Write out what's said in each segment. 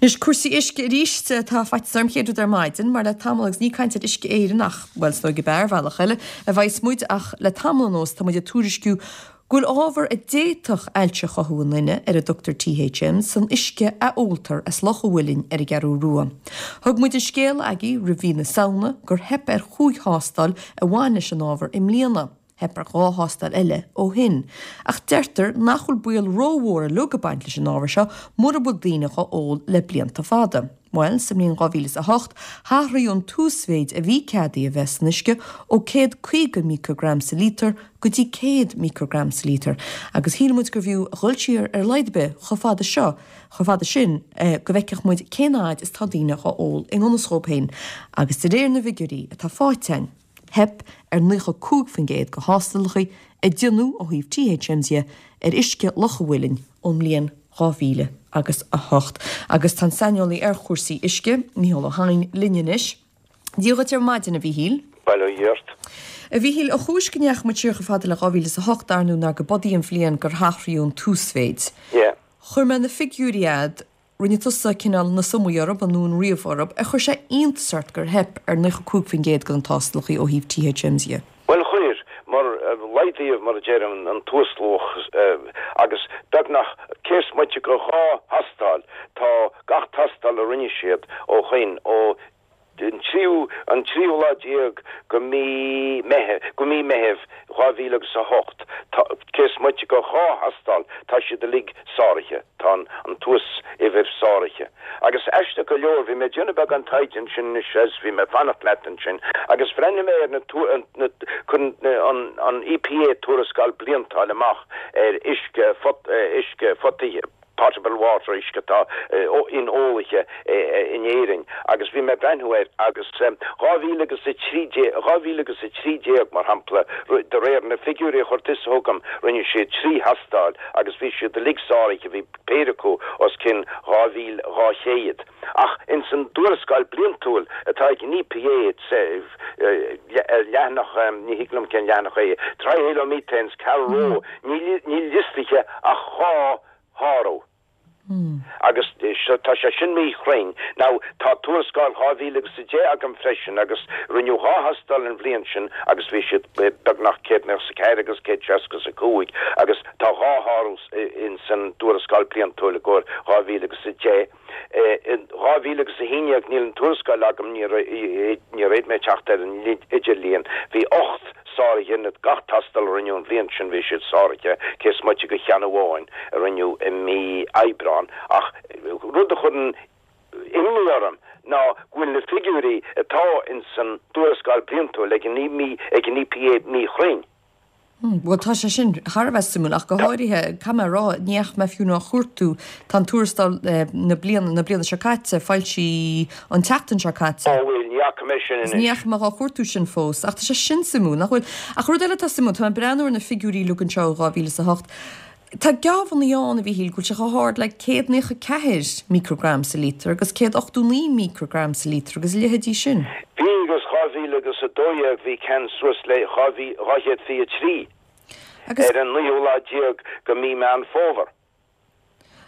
Anois cúrsaí uisce arís. Tá faitíos orm chéad rud ar maidin, mar le tamall agus ní caint ar Uisce Éireann ach, bhuel, is dóigh gurb ea ar bhealach eile, a bheas muid ach le tamall anuas tá muid ag tuairisciú go bhfuil ábhar a d'fhéadfadh ailse a chothú i nduine, ar a dtugtar THM, san uisce a óltar as Loch a' Mhuilinn ar an gCeathrú Rua. Thug muid an scéal agaibh roimh mhí na Samhna gur theip ar chúig thástáil a bhain leis an ábhar i mbliana. Theip ar dhá thástáil eile ó shin. Ach deirtear nach bhfuil baol rómhór uilig ag baint leis an ábhar seo mura bhfuil daoine dhá ól le blianta fada. Bhuel, sa mbliain 2008, hathraíodh an t-uasmhéid a bhí ceadaithe a bheith san uisce ó 150 microgram sa líotar go dtí 100 microgram sa líotar, agus shíl muid gurbh fhiú a dhul siar ar a laghad ar bith chomh fada seo, chomh fada sin, go bhfeicfeadh muid cén fhaid is tá daoine dhá ól i ngan fhios dhóibh féin, agus de réir na bhfigiúirí atá faighte againn, theip ar 95% de thástálacha a déanadh ó thaobh THMs dhe ar uisce Loch a' Mhuilinn ón mbliain 2000 agus 8. Agus tá an saineolaí ar chúrsaí uisce, Mícheál Ó hEidhin, linn anois. Dia dhuit ar maidin, a Mhíchíl. Bail ó Dhia ort. A Mhíchíl, an chúis go ndeachaigh muid siar chomh fada le 2008, dar ndóigh, ná go b'in í an bhliain gur hathraíodh an t-uasmhéid. Yeah. Chuir mé na figiúirí a'd Rinne tusa cineál na sumaí orthu nó an ríomh orthu. Ar chuir sé iontas ort gur theip ar 95% de na tástálacha ó thaobh THMs dhe? Bhuel chuir, mar laghdaíodh, mar a deirim, an t-uasluach agus beagnach cé is moite de dhá thástáil, tá gach tástáil a rinne siad ó shoin, ó an tríú an tríú lá déag go mí Meitheamh go mí Meitheamh 2000 agus 8 tá cé is moite de dhá thástáil tá siad uilig sáraithe tá an an t-uas-uimhir sáraithe agus aisteach go leor bhí mé ag déanamh beagán taighde ansin anois agus bhí mé ag fanacht leat ansin agus bhreathnaigh mé ar na na cuireann an an EPA tuarascáil bliantúil amach ar uisce phot uisce photaithe potable water, uisce atá inólaithe in Éirinn agus bhí mé ag breathnú air agus 2000 agus 13, 2013 mar shampla, de réir na figiúirí a chuir tusa chugam, rinne siad trí thástáil agus bhí siad uilig sáraithe, bhí péire acu os cionn 2,200. Ach ins an dtuarascáil bliantúil atá ag an EPA, ar leathanach, ní thig liom cén leathanach é, Trihalomethanes, Carrow, níl liostaithe ach dhá shárú. Agus tá sé sin míchruinn. Now, tá tuarascáil 2010 agam freisin agus rinneadh dhá thástáil an bhliain sin agus bhí siad beagnach 194 agus 165 agus tá dhá shárú ins an dtuarascáil bliantúil i gcomhair 2010. In 2011, níl an tuarascáil agam, níor fhéad mé teacht ar an idirlíon, bhí 8 sáraithe in gach tástáil a rinneadh an bhliain sin, bhí siad sáraithe, cé is moite de cheann amháin a rinneadh i mí Aibreán. Ach rud a chuireann imní orm ná go bhfuil na figiúirí atá ins an dtuarascáil bliantúil ag an EPA míchruinn. Bhuel, tá sé sin thar a bheith suimiúil, ach go háirithe, caithfidh mé a rá, ní dheachaigh mé fiú ná a chuartú, tá an tuarascáil na bliana, na bliana seo caite, foilsithe an tseachtain seo caite. Ó bhuel, ní fhaca mé sin anois. Ní dheachaigh mé dhá chuartú sin fós, ach tá sé sin suimiúil, nach bhfuil? Ach rud eile atá suimiúil, tá mé ag breathnú ar na figiúirí uilig anseo ó 2008, Tá geábhannaí ann, a Mhíchíl, go bhfuil sé chomh hard le 194 microgram sa líotar agus 189 microgram sa líotar agus a leithéidí sin. Bhí agus 2012 bhí ceann suas le 223 Agus. ar an naoú lá déag go mí Meán Fómhair.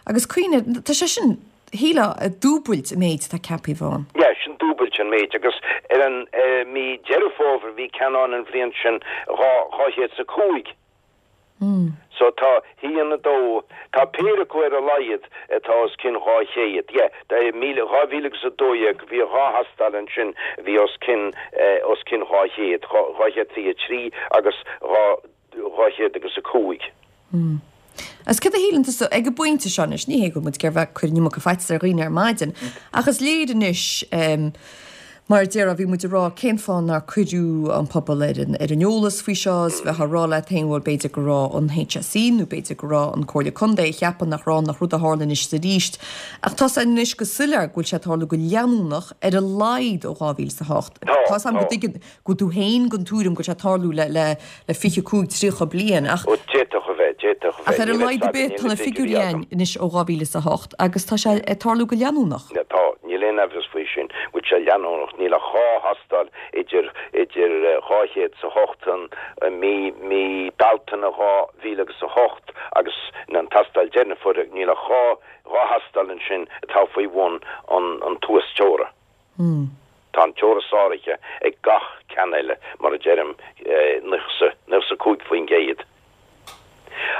Agus cuimhnigh, tá sé sin, shílfeá, dúbailt an méid atá ceaptha a bheith ann. Yeah, sin dúbailt an méid agus ar an mí Deireadh Fómhair bhí ceann ann an bhliain sin 205. So tá haon, dó, tá péire acu ar a laghad atá os cionn 200. Yeah, 2000 agus 12 bhí dhá thástáil ansin a bhí os cionn, os cionn 200, 223 agus 200 agus 5. Agus céard a shíleann tusa ag an bpointe seo anois, ní hé go bhfuil muid ag iarraidh bheith ag cur an iomarca faitíos ar dhaoine ar maidin, ach is léir anois, Mar a déarfá, bhí muid ag rá cén fáth nár cuireadh an pobal ar an ar an eolas faoi seo is bheifeá ag rá leat féin bhuel b'fhéidir go raibh an HSE nó b'fhéidir go raibh an Comhairle Contae ag ceapadh nach raibh nach rud a tharla anois is arís. Ach tá sé anois go soiléir go bhfuil sé ag tarlú go leanúnach ar a laghad ó 2008. Tá, Tá 's agam go tá. dtuigeann go bhfuil tú féin den tuairim go bhfuil sé ag tarlú le le le 25, 30 bliain ach. Ó, d'fhéadfadh a bheith, d'fhéadfadh a Ach bheith. ar a Níl laghad fhios ar agam, bith níl tá na na figiúirí figiúirí agam. ann anois ó 2008 agus tá sé ag tarlú go leanúnach. Tá, níl. aon amhras faoi sin, go bhfuil sé leanúnach. Níl ach 2 thástáil idir idir 208 an mí mí Bealtaine 2008 agus an tástáil deireanach a fuaireadh, níl ach 2 2 thástáil ansin atá faoi bhun an an t-uasteora. Tá an teora sáraithe ag gach ceann eile, mar a deirim, 95%.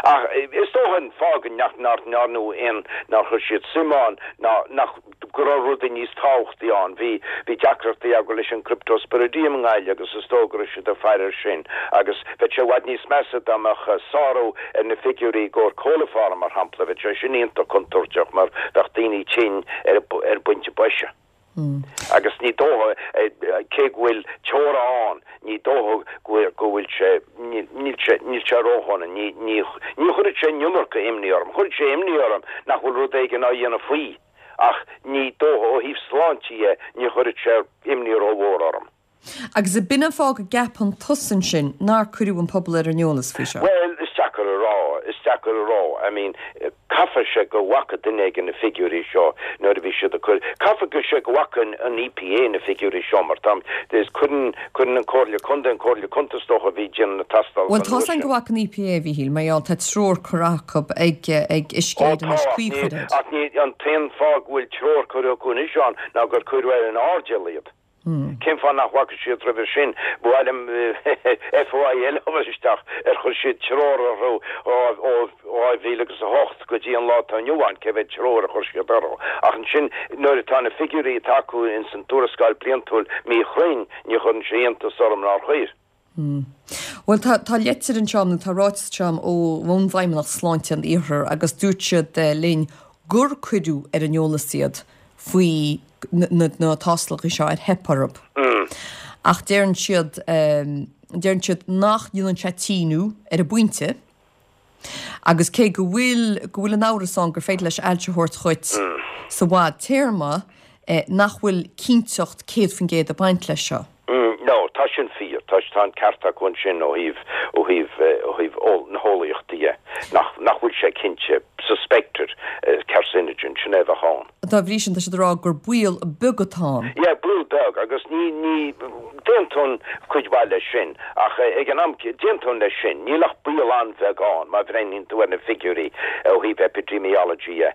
Ach is dócha an fáth go nach ndearnadh aon, nár chuir siad suim ann ná nach, go raibh rudaí níos tábhachtaí ann. Bhí, bhí deacrachtaí acu leis an Cryptosporidium i nGaillimh agus is dóigh go raibh siad ag faire air sin. Agus bheadh sé i bhfad níos measa dá mbeadh sárú ar na figiúirí i gcomhair coliform, mar shampla. Bheadh sé sin iontach contúirteach mar bheadh daoine tinn ar an bpointe boise. Agus ní dócha, cé go bhfuil teora ann, ní dócha go bhfuil sé, níl sé, níl sé ródhona, ní, ní, ní chuirfeadh sé an iomarca imní orm. Chuirfeadh sé imní orm nach bhfuil rud éigin á dhéanamh faoi, ach ní dócha, ó thaobh sláinte dhe, ní chuirfeadh sé imní rómhór orm. Agus ab in an fáth go gceapann tusa ansin nár cuireadh an pobal ar an eolas faoi seo? Bhuel, is deacair a rá, is deacair a rá. I mean, caithfidh sé go bhfaca duine éigin na figiúirí seo nuair a bhí siad ag cur, caithfidh sé go bhfaca an EPA na figiúirí seo mar tá, is cuireann, cuireann an Comhairle Contae, an Comhairle Contae is dócha a bhí ag déanamh na tástálacha Bhuel, tá's againn go bhfaca an EPA, a Mhíchíl, mar gheall, tá treoir curtha acu ag, ag Uisce Ó Éireann tá, anois ach ní, caoi chur air. ach ní, an t-aon fáth go bhfuil treoir curtha acu anois ann ná gur cuireadh ar an airdeall iad. Cén fáth nach bhfaca siad roimhe sin? Ba mhaith liom FOI eile a chur isteach ar chuir siad treoir orthu ó 2008 go dtí an lá atá inniu ann, cé mhéad treoir a chuir siad orthu. Ach ansin nuair atá na figiúirí atá acu ins an tuarascáil bliantúil míchruinn, ní chuireann sé iontas orm nár chuir. Bhuel, tá, tá leitir anseo agam, nó tá ráiteas anseo agam ó ón bhFeidhmeannacht Sláinte an Iarthair agus dúirt siad linn gur cuireadh ar an eolas iad faoi na, na tástálacha seo ar theip orthu. Ach deireann siad, deireann siad nach ndéanann sé tíniú ar an bpointe. Agus cé go bhfuil, go bhfuil an amhras ann gur féidir leis ailse a thabhairt dhuit sa bhfadtéarma, nach bhfuil cinnteacht 100% ag baint leis seo. No, tá sin fíor. Tá, tá an ceart acu ansin ó thaobh, ó thaobh, ó thaobh na heolaíochta dhe, nach, nach bhfuil sé cinnte, suspected carcinogen, sin é a bheadh ann. Dá bhrí sin, tá siad ag rá gur baol beag atá ann. Yeah, baol beag, agus ní, ní, D'aontóinn cuid mhaith leis sin, ach ag an am, d'aontóinn leis sin, níl ach baol an-bheag ann má bhreathnaíonn tú ar na figiúirí ó thaobh epidemiology dhe,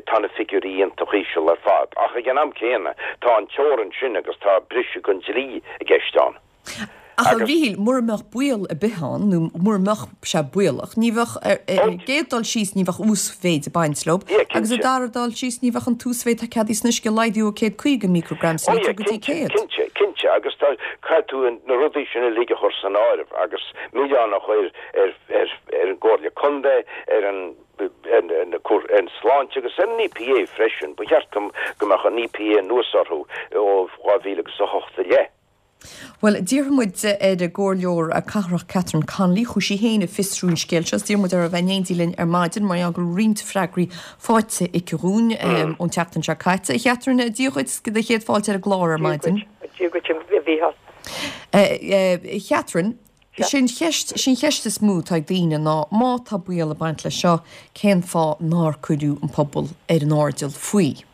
tá na figiúirí iontach íseal ar fad. Ach ag an am céanna, tá an teorainn sin agus tá briseadh den dlí i gceist ann. Ach a Mhíchíl, mura mbeadh baol ar bith ann, nó mura mbeadh sé baolach, ní bheadh, ar an gcéad dul síos, ní bheadh uasmhéid ag baint leo, agus ar dara dul síos, ní bheadh an t-uasmhéid atá ceadaithe san uisce laghdaithe ó 150 microgram sa litir go dtí 100. Cinnte, cinnte, agus tá, caithfidh tú na rudaí sin uilig a chur san áireamh agus milleán a chur ar, ar, ar an gComhairle Contae, ar an, ar, ar, ar an Sláinte agus ar an EPA freisin. Ba cheart go, go mbeadh an EPA anuas orthu ó 2008 i leith. Bhuel, d'iarr muid ar an gComhairleoir Cathrach Catherine Connolly, chuaigh sí féin ag fiosrú an scéil seo, is d'iarr muid uirthi a bheith in éindí linn ar maidin mar gheall go raibh roinnt freagraí faighte aici dhúinn ón tseachtain seo caite. A Chatherine, Dia dhuit, do chéad fáilte ar an gclár ar maidin. Dia dhuit, a Mhícheáil. A Chatherine, sé an cheist, sé an cheist is mó atá ag daoine ná má tá baol ag baint leis seo, cén fáth nár cuireadh an pobal ar an airdeall faoi?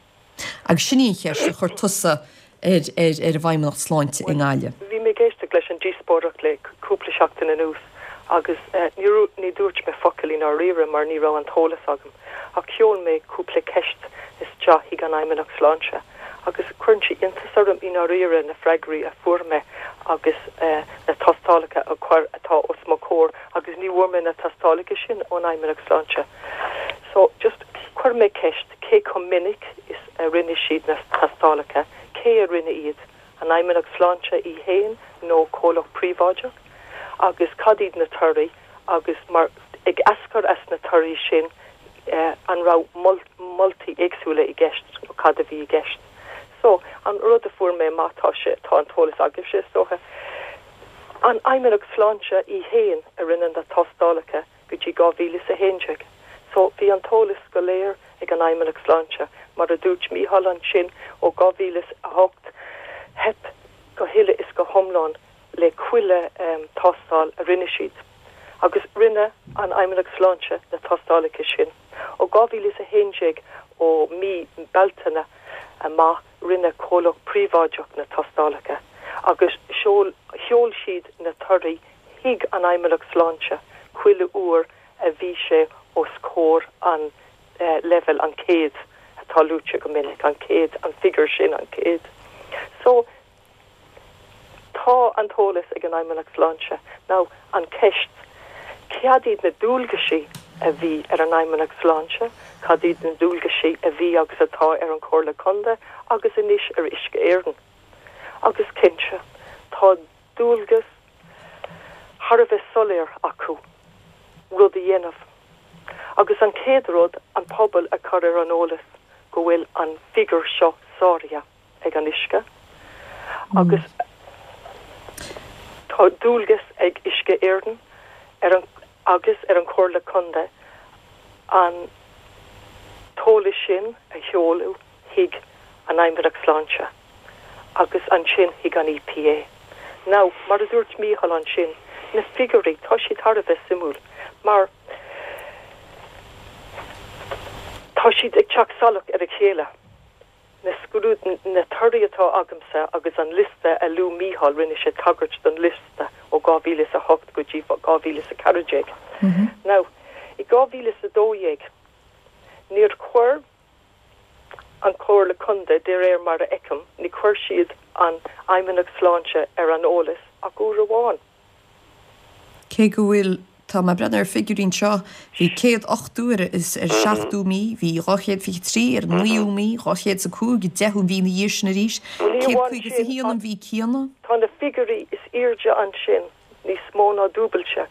Agus sin í an cheist a chuir tusa ar ar an bhFeidhmeannacht Sláinte i nGaillimh. Bhí mé ag éisteacht leis an díospóireacht le cúpla seachtain anuas agus ní ní dúirt mé focal i ndáiríre mar ní raibh an t-eolas agam. Ach sheol mé cúpla ceist isteach chuig an Fheidhmeannacht Sláinte agus cuireann sé iontas orm i ndáiríre na freagraí a fuair mé agus na tástálacha a chuir atá os mo chomhair agus ní bhfuair mé na tástálacha sin ón Fheidhmeannacht Sláinte. So just chuir mé ceist cé chomh minic is a rinne siad na tástálacha, cé a rinne iad, an Fheidhmeannacht Sláinte í fhéin nó comhlacht príobháideach, agus cad iad na torthaí agus mar ag eascair as na torthaí sin an raibh moltaí éagsúla i gceist nó cad a bhí i gceist. So, an rud a fuair mé amach, tá sé, tá an t-eolas agaibhse is dócha, an Fheidhmeannacht Sláinte í fhéin a rinne na tástálacha go dtí 2011. So, bhí an t-eolas go léir ag an Fheidhmeannacht Sláinte. Mar a dúirt Mícheál ansin, ó 2008, theip go huile is go hiomlán le chuile tástáil a rinne siad. Agus rinne an Fheidhmeannacht Sláinte na tástálacha sin. Ó 2011, ó mí Bealtaine amach. Rinne comhlacht príobháideach na tástálacha agus sheol sheol siad na torthaí chuig an Fheidhmeannacht Sláinte chuile uair a bhí sé os comhair an leibhéal, an 100 atá luaite go minic, an 100, an figiúr sin, an 100. So, tá an t-eolas ag an Fheidhmeannacht Sláinte. Now, an ceist, cad iad na dualgaisí a bhí ar an Fheidhmeannacht Sláinte, cad iad na dualgaisí a bhí agus atá ar an Chomhairle Contae agus anois ar Uisce Éireann? Agus cinnte, tá dualgas thar a bheith soiléir acu rud a dhéanamh. Agus an chéad rud, an pobal a chur ar an eolas go bhfuil an figiúr seo sáraithe ag an uisce agus tá dualgas ag Uisce Éireann ar an agus ar an Chomhairle Contae an t-eolas sin a sheoladh chuig an Fheidhmeannacht Sláinte agus ansin chuig an EPA. Now, mar a dúirt Mícheál ansin, na figiúirí, tá siad thar a bheith suimiúil mar tá siad ag teacht salach ar a chéile. Na scrúd, na torthaí atá agamsa agus an liosta a luaigh Mícheál, rinne sé tagairt don liosta ó 2008 go dtí 2014. Now, i 2012, níor chuir an Chomhairle Contae, de réir mar a fheicim, ní chuir siad an Fheidhmeannacht Sláinte ar an eolas ach uair amháin. Cé go bhfuil, tá mé ag breathnú ar figiúirí anseo, bhí 180 ar an seachtú mí, bhí 223 ar an naoú mí, 205 an deichiú mhí ina dhiaidh sin arís, 151 an mhí céanna. Tá na figiúirí is airde ansin níos mó ná dúbailte.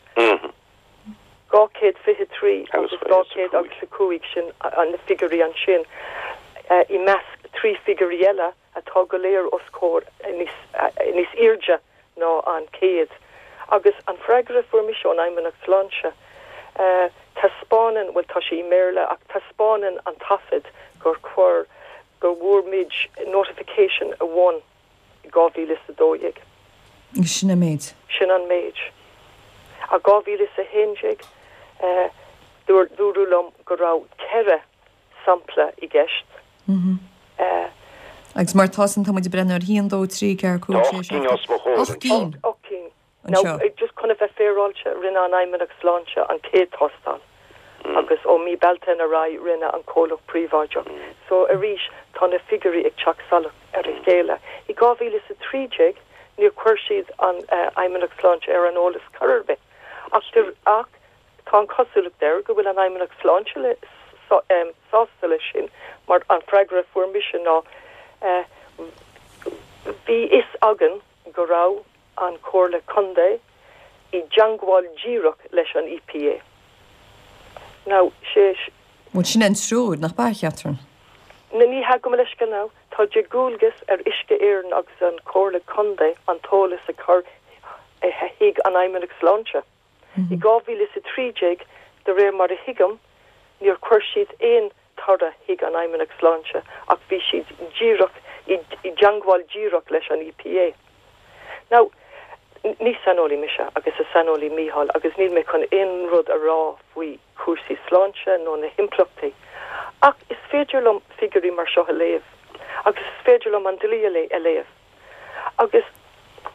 223 agus 200 agus 5, sin na figiúirí ansin, i measc 3 figiúirí eile atá go léir os comhair níos airde ná an 100. Agus an freagra a fuair mise ón Fheidhmeannacht Sláinte, taispeánann, bhuel tá sé i mBéarla ach taispeánann an taifead gur chuir, go bhfuair muid notification amháin. 2012. Agus sin an méid. Sin an méid. I 2011, dúradh liom go raibh 4 sampla i gceist. Agus mar atá san, tá muid ag breathnú ar 1, 2, 3, 4, 5, 6, 7, 8 gcinn. 8 cinn. Now, just chun a bheith féaráilte, rinne an Fheidhmeannacht Sláinte an chéad tástáil agus ó mí Bealtaine ar aghaidh rinne an comhlacht príobháideach. So, arís, tá na figiúirí ag teacht salach ar a chéile. I 2013, níor chuir siad an Fheidhmeannacht Sláinte ar an eolas chor ar bith. Ach, ach tá an chosúlacht air go bhfuil an Fheidhmeannacht Sláinte le, sásta leis sin mar an freagra a fuair mise ná, bhí fhios againn go raibh an Chomhairle Contae i dteangmháil díreach leis an EPA. Now, sé. Bhuel, sin é an treoir, nach b'ea, a Chatherine? Ní hea, gabh mo leithscéal now. Tá de dhualgas ar Uisce Éireann agus an Chomhairle Contae an t-eolas a chur chuig an Fheidhmeannacht Sláinte. I 2013, de réir mar a thuigim, níor chuir siad aon toradh chuig an Fheidhmeannacht Sláinte ach bhí siad díreach i dteangmháil díreach leis an EPA. Now, ní saineolaí mise agus is saineolaí Mícheál agus níl mé chun aon rud a rá faoi chúrsaí sláinte nó na himpleachtaí ach is féidir liom figiúirí mar seo a léamh agus is féidir liom an dlí a léamh agus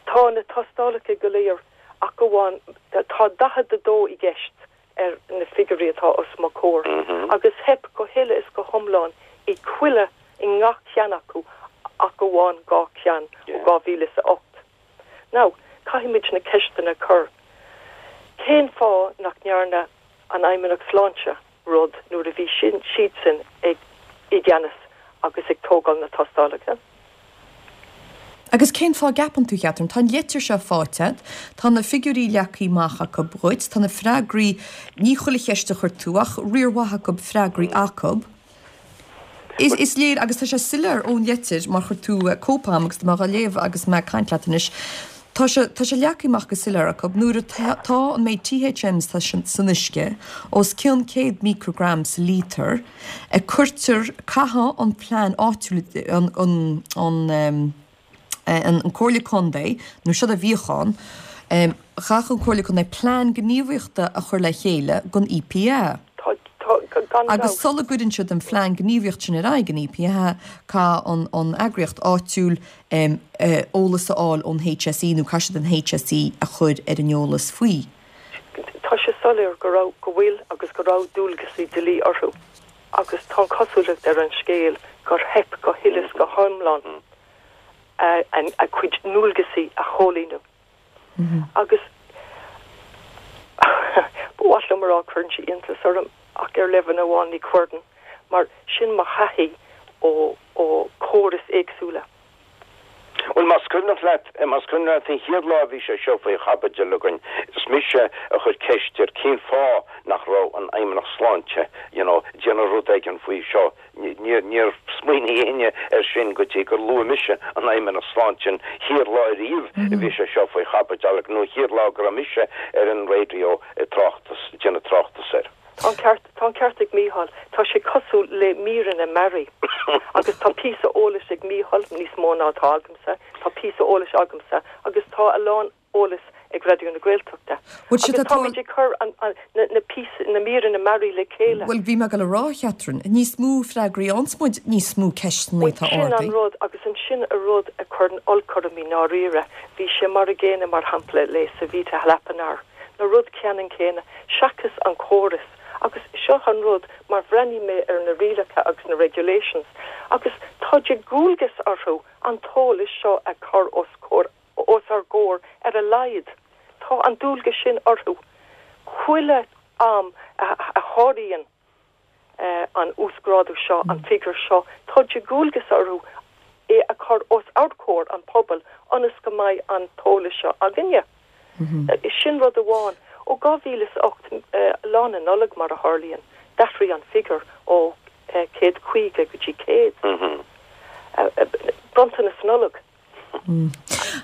tá na tástálacha go léir ach amháin tá 42 i gceist ar na figiúirí atá os mo chomhair agus theip go huile is go hiomlán i chuile, i ngach ceann acu ach amháin 2 cheann ó 2008. Now, caithfimid na ceisteanna a chur. Cén fáth nach ndearna an Fheidhmeannacht Sláinte rud nuair a bhí siadsan ag i gceannas agus ag tógáil na tástálacha? Agus cén fáth a gceapann tú, a Chatherine? Tá an leitir seo faighte agat, tá na figiúirí leagtha amach acu dhuit, tá na freagraí, ní chuile cheist a chuir tú, ach riar mhaith acu freagraí acu. Is, is léir, agus tá sé soiléir ón leitir, mar chuir tú cóip agam agus tá mé dhá léamh agus mé ag caint leat anois, tá sé, tá sé leagtha amach go soiléir acu, nuair atá an méid THMs atá san uisce, os cionn 100 microgram sa lítear, a cuirtear, caithfidh an plean áitiúil, an, an, an, an Comhairle Contae, nó siod a bhíodh ann, chaithfeadh an Comhairle Contae plean gníomhaíochta a chur le chéile don EPA. Tá, tá, Gan Agus dabht. sula gcuireann siad an phlean gníomhaíocht sin ar aghaidh, an EPA, caithfidh an eagraíocht áitiúil eolas a fháil ón HSE nó caithfidh siad an HSE a chur ar an eolas faoi. Tá sé soiléir go raibh, go bhfuil agus go raibh dualgasaí dlí orthu agus tá an chosúlacht ar an scéal gur theip go huile is go hiomlán a gcuid ndualgasaí a chomhlíonadh. Agus ba mhaith liom a rá cuireann sé iontas orm ach ar leibhéal amháin ní chuireann mar sin mo thaithí ó ó chórais éagsúla. Bhuel, más cuimhneach leat, más cuimhneach leat an chéad lá a bhí sé seo faoi chaibidil againn, is mise a chuir ceist ar cén fáth nach raibh an Fheidhmeannacht Sláinte, you know, ag déanamh rud éigin faoi seo. Níor, níor smaoinigh éinne air sin go dtí gur luaigh mise an Fheidhmeannacht Sláinte an chéad lá ariamh a bhí sé seo faoi chaibidil nó an chéad lá go raibh mise ar an raidió ag tráchtas, ag déanamh tráchtas air. Tá an ceart, tá an ceart ag Mícheál. Tá sé cosúil le míreanna mearaí. Agus tá píosa eolais ag Mícheál, níos mó ná atá agamsa, tá píosa eolais agamsa agus tá a lán eolais ag Raidió na Gaeltachta. Bhuel, siad Agus atá. táimid ag cur an, an, na, na píosa, na míreanna mearaí le chéile. Bhuel, bhí mé ag dul a rá, a Chatherine, níos mó freagraí a fhaigheanns muid, níos mó ceisteanna Bhuel, atá sin an ardaithe. rud, agus ansin an rud a chuireann olc orm i ndáiríre, bhí sé mar a gcéanna, mar shampla, le Savita Halappanavar. Na rud ceannann céanna, seachas an córas, agus seo an rud, mar bhreathnaigh mé ar na rialacha agus na regulations, agus tá de dhualgas orthu an t-eolas seo a chur os comhair, os ár gcomhair ar a laghad. Tá an dualgas sin orthu. Chuile am a sháraíonn. an uasghrádú seo, an figiúr seo, tá de dhualgas orthu é a chur os ár gcomhair, an pobal, ionas go mbeidh an t-eolas seo againne. Sin rud amháin. Ó 2008, Lá na Nollag mar a tharlaíonn, d'athraigh an figiúr ó 150 go dtí 100. Bronntanas Nollag.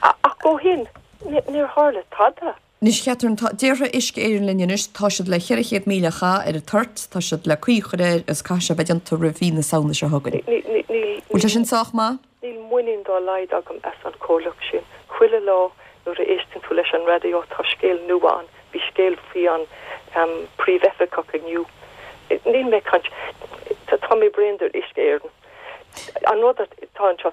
Ach ó shin, níor tharla tada. Anois, a Chatherine, tá, déarfaidh Uisce Éireann linn anois, tá siad le 400,000 a chaitheamh ar an toirt, tá siad le caoi a chur air agus caithfidh sé a bheith déanta roimh mhí na Samhna seo chugainn. Bhfuil sé sin sách maith? Níl muinín dá laghad agam as an chomhlacht sin. Chuile lá nuair a éisteann tú leis an raidió tá scéal nua ann. Bhí scéal faoi an príomhoifigeach inniu. Níl mé ag caint, tá mé bréan de Uisce Éireann. An rud atá anseo,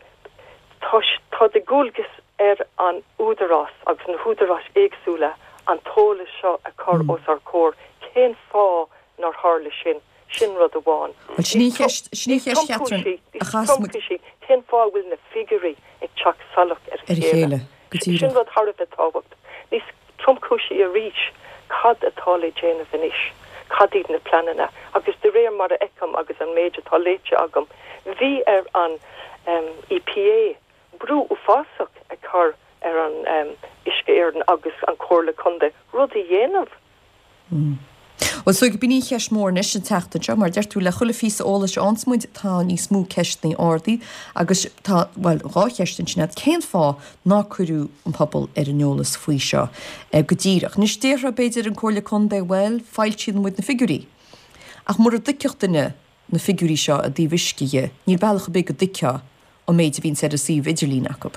Tá, tá de dhualgas ar an údarás agus na húdaráis éagsúla an t-eolas seo a chur os ár gcomhair. Cén fáth nár tharla sin? Sin rud amháin. Bhuel, sin í an cheist, sin í an cheist, Catherine, a chas muid. Níos tromchúisí, cén fáth a bhfuil na figiúirí ag teacht salach ar a chéile? Go díreach. Sin rud thar a bheith tábhachtach. Níos tromchúisí arís, cad atá le déanamh anois? Cad iad na pleananna? Agus de réir mar a fheicim agus an méid atá léite agam, bhí ar an EPA brú uafásach a chur ar an Uisce Éireann agus an Chomhairle Contae rud a dhéanamh. Bhuel, so b'in í an cheist mhór anois an tseachtain seo, mar a deir tú, le chuile phíosa eolais a fhaigheanns muid, tá níos mó ceisteanna ardaithe agus tá, bhuel, dhá cheist ansin agat, cén fáth nár cuireadh an pobal ar an eolas faoi seo go díreach? Anois, déarfá, b'fhéidir, an Comhairle Contae, bhuel, foilsíonn muid na figiúirí. Ach mura dtuigfeadh duine na figiúirí seo i dtaobh uisce dhe, níl bealach ar bith go dtuigfeá an méid a bhíonns ar an suíomh idirlín acu.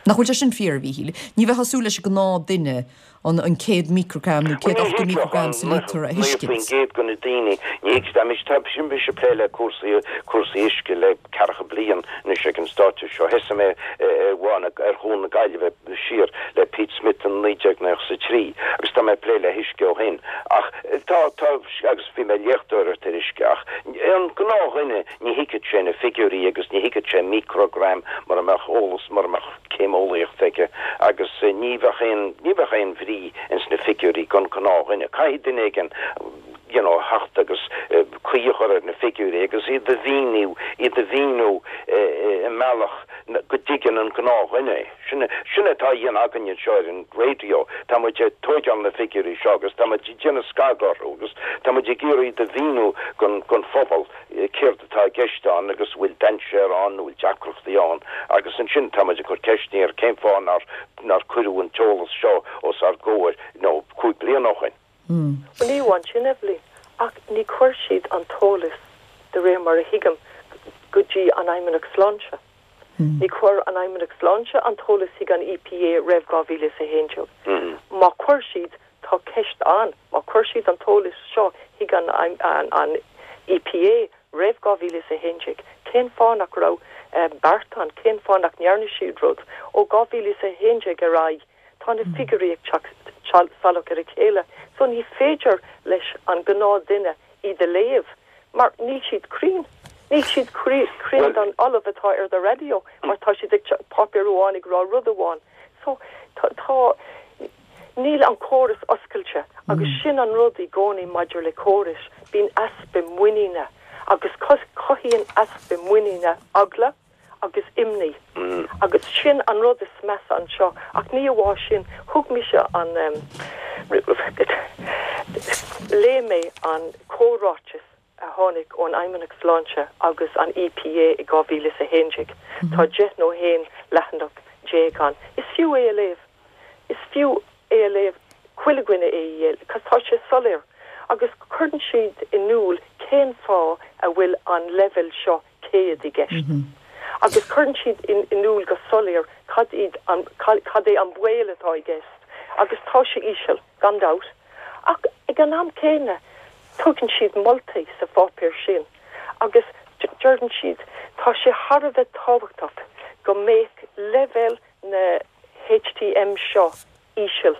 Nach bhfuil sé sin fíor, a Mhíchíl? Ní bheifeá ag súil leis an gnáth duine an an 100 microgram nó 180 microgram sa líotar a thuiscint. 90% de na daoine, ní thuigfidh, tá mise, tá mise ag plé le cúrsaí, cúrsaí uisce le ceathracha bliain anois ag an stáitse seo. Thosaigh mé ar bhá na, ar Chuan na Gaillimhe siar le Pete Smith in 1993 agus tá mé ag plé le huisce ó shin. Ach tá, tá, agus bhí mé ag léachtóireacht ar uisce ach an gnáthdhuine, Ní thuigfeadh sé na figiúirí agus ní thuigfeadh sé microgram mura mbeadh eolas, mura mbeadh céim eolaíochta aige agus ní bheadh aon, ní bheadh aon bhrí ins na figiúirí don ghnáthdhuine. Caithfidh duine éigin you know theacht agus caoi a chur ar na figiúirí agus iad a mhíniú, iad a mhíniú i mbealach go dtuigeann an gnáthdhuine é. Sin, sin atá á dhéanamh againne anseo ar an raidió. Tá muid ag tóigeáil na figiúirí seo agus tá muid ag déanamh scagadh orthu agus tá muid ag iarraidh iad a mhíniú don, don phobal. céard atá i gceist ann agus an bhfuil dainséar ann nó bhfuil deacrachtaí ann agus ansin tá muid ag cur ceisteanna ar cén fáth nár nár cuireadh an t-eolas seo os ár gcomhair you know 5 bliana ó shin. Bhuel ní amháin sin Eibhlín, ach ní chuir siad an t-eolas de réir mar a thuigim go dtí an Fheidhmeannacht Sláinte. Ní chuir an Fheidhmeannacht Sláinte an t-eolas chuig an EPA roimh 2011. Má chuir siad, Tá ceist ann, má chuir siad an t-eolas seo chuig an an. EPA roimh 2011, cén fáth nach raibh beart ann, cén fáth nach ndearna siad rud? Ó 2011 ar aghaidh, tá na figiúirí ag teacht salach ar a chéile, so ní féidir leis an gnáth duine iad a léamh mar níl siad cruinn. Níl siad cruinn don ollamh atá ar do raidió mar tá siad ag páipéar amháin ag rá rud amháin. So tá níl an córas oscailte agus sin an rud i gcónaí maidir le córais, bíonn easpa muiníne agus cothaíonn easpa muiníne eagla agus imní agus sin an rud is measa anseo ach ní amháin sin, thug mise an, léigh mé an comhráiteas a tháinig ón Fheidhmeannacht Sláinte agus an EPA i 2011, tá 10 nó 11 leathanach ann, is fiú é a léamh, is fiú é a léamh, chuile dhuine é a léamh, cos tá sé soiléir agus cuireann siad in iúl cén fáth a bhfuil an leibhéal seo 100 i gceist. Agus cuireann siad in iúl go soiléir cad iad an, cad é an baol atá i gceist. Agus tá sé íseal, gan dabht. Ach ag an am céanna, tugann siad moltaí sa pháipéar sin agus deireann siad, tá sé thar a bheith tábhachtach go mbeadh leibhéal na HTM seo íseal.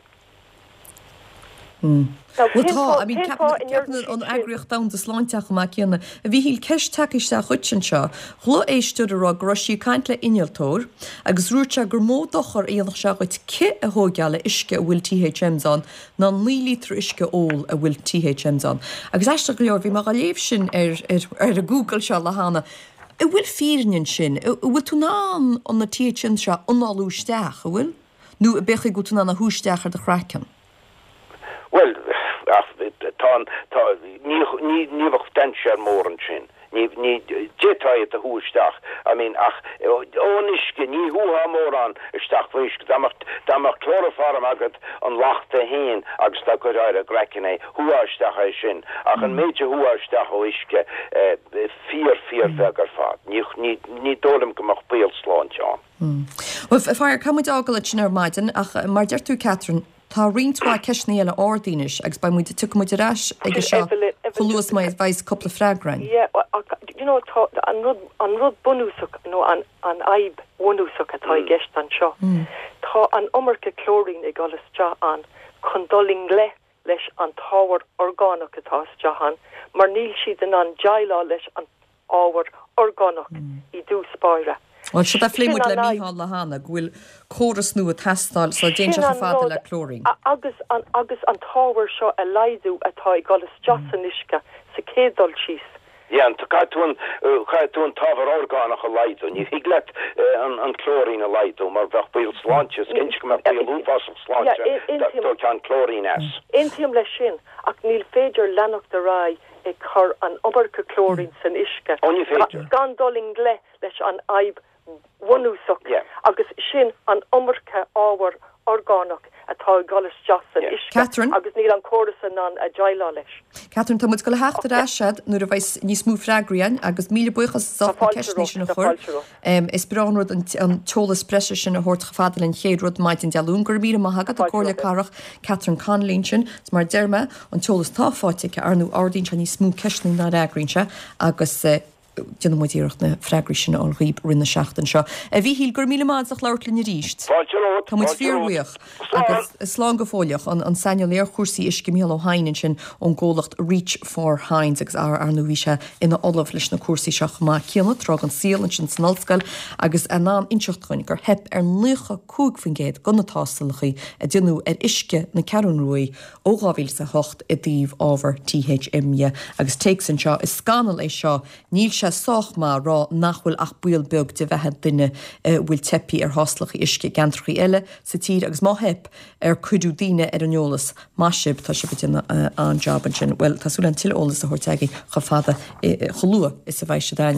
Bhuel tá, I mean ceapann an Eagraíocht Domhanda Sláinte chomh maith céanna. A Mhíchíl, ceist tagtha isteach dhuit anseo. Ghlaoigh éisteoir ag rá go raibh sí ag caint le innealtóir agus dúirt sé gur mó dochar a dhéanfadh sé dhuit cith a thóigeáil le uisce a bhfuil THMs ann ná 9 líotra uisce a ól a bhfuil THMs ann. Agus aisteach go leor, bhí mé dhá léamh sin ar ar an Google seo lá cheana. An bhfuil fírinne ansin? An bhfuil tú in ann an na THMs seo a análú isteach, an bhfuil? Nó an b'é go bhfuil tú in ann a shú isteach ar do chraiceann? Bhuel, ach tá an, tá, ní, ní, ní bheadh dainséar mór ansin. Ní, ní, d'fhéadfá iad a shú isteach, I mean, ach ón uisce, ní shúfá mórán isteach faoin uisce. Dá mbeadh, dá mbeadh clóraform agat, an lacht é féin, agus dá gcuirfeá ar an gcraiceann é, shúfá isteach é sin. Ach an méid a shúfá isteach ó uisce, eh, fíor, fíor bheag ar fad. Ní, ní, ní dóigh liom go mbeadh baol sláinte ann. Bhuel, faraor, caithfidh muid fhágáil ansin ar maidin, ach mar a deir tú, Catherine, tá roinnt mhaith ceisteanna eile ardaithe anois agus beidh muid, tiocfaidh muid ar ais aige seo chomh luath is a bheidh cúpla freagra againn. Yeah, ach, you know, tá an rud, an rud bunúsach nó an, an fhadhb bhunúsach atá i gceist anseo, tá an iomarca clóirín ag dul isteach ann chun dul i ngleic leis an t-ábhar orgánach atá isteach ann mar níl siad in ann déileáil leis an ábhar orgánach i dtús báire. Bhuel, seo a phléigh muid le Mícheál lá cheana, go bhfuil córas nua ag teastáil sula dtéann sé chomh fada le clóirín. Agus an agus an t-ábhar seo a laghdú atá ag dul isteach san uisce sa chéad dul síos. Yeah, caithfidh tú an caithfidh tú an t-ábhar orgánach a laghdú. Ní thig leat an an clóirín a laghdú mar bheadh baol sláinte, is cinnte go mbeadh baol uafásach sláinte dá dtógfá an clóirín as. Aontaím leis sin ach níl féidir leanacht ar aghaidh ag cur an iomarca clóirín san uisce gan dul i ngleic leis an fhadhb bhunúsach agus sin an iomarca ábhar orgánach atá ag dul isteach san uisce agus níl an córas in ann a déileáil leis. Catherine, tá muid ag dul a theacht ar ais agat nuair a bheidh níos mó freagraí againn agus míle buíochas as ucht na ceisteanna sin a chur. Is breá an rud an t-eolas breise sin a thabhairt chomh fada linn chéad rud maidin Dé Luain. Go raibh míle maith agat, an Comhairleoir Cathrach Catherine Connolly ansin. Is mar a deir mé, an t-eolas atá faighte aici, ar ndóigh, ardaíonn sé níos mó ceisteanna ná fhreagraíonn sé agus déanfaidh muid iarracht na freagraí sin a fháil dhaoib i rith na seachtaine seo. A Mhíchíl, go raibh míle maith agat as labhairt linn arís. Fáilte romhat. Tá muid fíorbhuíoch. Agus slán go fóilleach. An saineolaí ar chúrsaí uisce, Mícheál Ó hEidhin ansin ón gcomhlacht Reach for Hynds agus ar ndóigh bhí sé ina ollamh leis na cúrsaí seo chomh maith céanna tráth den saol ansin san ollscoil agus in ann inseacht dhúinn gur theip ar 95% de na tástálacha a déanadh ar uisce na Ceathrún Ruaidh ó 2008 i dtaobh ábhar THM dhe agus téacs anseo is scannal é seo níl sé sách maith a rá nach bhfuil ach baol beag de bheatha duine a bhfuil teipthe ar thástálacha uisce i gceantracha eile sa tír agus má theip ar cuireadh daoine ar an eolas Maith sibh, tá sibh ag déanamh an-jab ansin. Bhuel, tá súil agam tuilleadh eolas a thabhairt agaibh chomh fada, chomh luath is a bheidh siad againne.